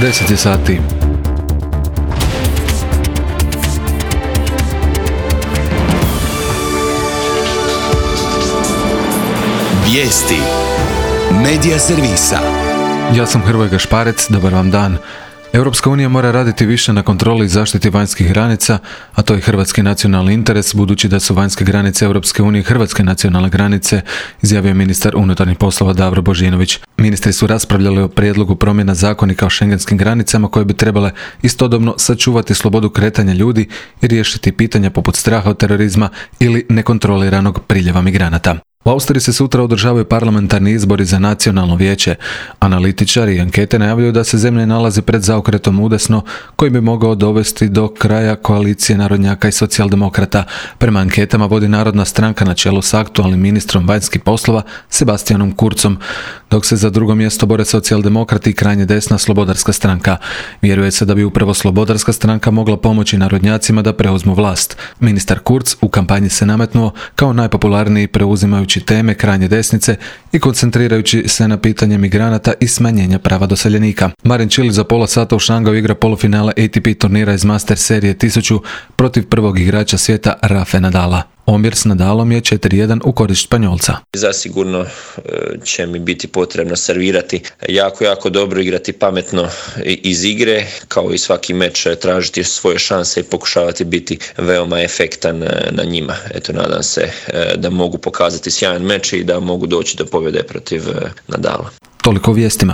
10 je sati. Vijesti Medija servisa. Ja sam Hrvoje Gašparec, dobar vam dan. Europska unija mora raditi više na kontroli i zaštiti vanjskih granica, a to je hrvatski nacionalni interes, budući da su vanjske granice Europske unije hrvatske nacionalne granice, izjavio ministar unutarnjih poslova Davor Božinović. Ministri su raspravljali o prijedlogu promjena zakonika o šengenskim granicama koje bi trebale istodobno sačuvati slobodu kretanja ljudi i riješiti pitanja poput straha od terorizma ili nekontroliranog priljeva migranata. U Austriji se sutra održavaju parlamentarni izbori za nacionalno vijeće. Analitičari i ankete najavljuju da se zemlja nalazi pred zaokretom udesno koji bi mogao dovesti do kraja koalicije narodnjaka i socijaldemokrata. Prema anketama vodi Narodna stranka na čelu s aktualnim ministrom vanjskih poslova Sebastianom Kurzom, dok se za drugo mjesto bore socijaldemokrati i krajnje desna Slobodarska stranka. Vjeruje se da bi upravo Slobodarska stranka mogla pomoći narodnjacima da preuzmu vlast. Ministar Kurz u kampanji se nametnuo kao najpopularniji preuzimajući teme krajnje desnice i koncentrirajući se na pitanje migranata i smanjenja prava doseljenika. Marin Cilic za pola sata u Šangaju igra polufinale ATP turnira iz Master serije 1000 protiv prvog igrača svijeta Rafe Nadala. Omjer s Nadalom je 4:1 u korist Španjolca. Zasigurno će mi biti potrebno servirati jako dobro, igrati pametno iz igre, kao i svaki meč tražiti svoje šanse i pokušavati biti veoma efektan na njima. Eto, nadam se da mogu pokazati sjajan meč i da mogu doći do pobjede protiv Nadala. Toliko o vijestima.